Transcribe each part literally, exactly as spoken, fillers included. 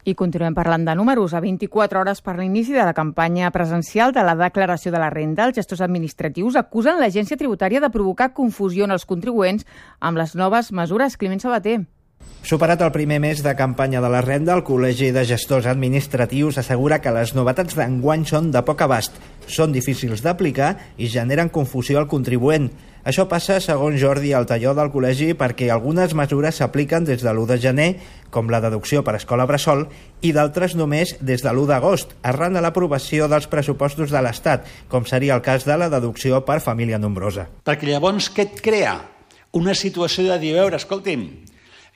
I continuem parlant de números. A vint-i-quatre hores per l'inici de la campanya presencial de la declaració de la renda, els gestors administratius acusen l'Agència Tributària de provocar confusió en els contribuents amb les noves mesures. Climent Sabater. Superat el primer mes de campanya de la renda, el Col·legi de Gestors Administratius assegura que les novetats d'enguany són de poc abast, són difícils d'aplicar i generen confusió al contribuent. Això passa, segons Jordi Altaió del col·legi, perquè algunes mesures s'apliquen des de l'u de gener, com la deducció per escola bressol, i d'altres només des de l'u d'agost, arran de l'aprovació dels pressupostos de l'Estat, com seria el cas de la deducció per família nombrosa. Perquè llavors què et crea? Una situació de dir, a veure, escolti'm,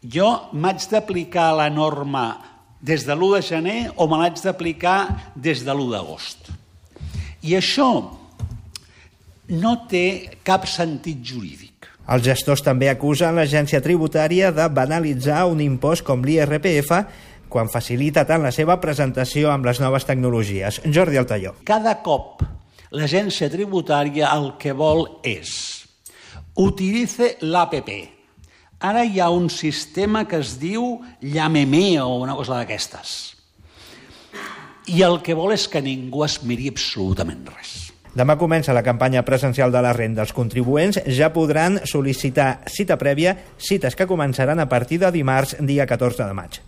jo m'haig d'aplicar la norma des de l'u de gener o me l'haig d'aplicar des de l'u d'agost. I això no té cap sentit jurídic. Els gestors també acusen l'agència tributària de banalitzar un impost com l'I R P F quan facilita tant la seva presentació amb les noves tecnologies. Jordi Altaió. Cada cop l'agència tributària el que vol és utilice l'A P P. Ara hi ha un sistema que es diu Llámeme o una cosa d'aquestes. I el que vol és que ningú es miri absolutament res. Demà comença la campanya presencial de la renda. Els contribuents ja podran sol·licitar cita prèvia, cites que començaran a partir de dimarts, dia catorze de maig.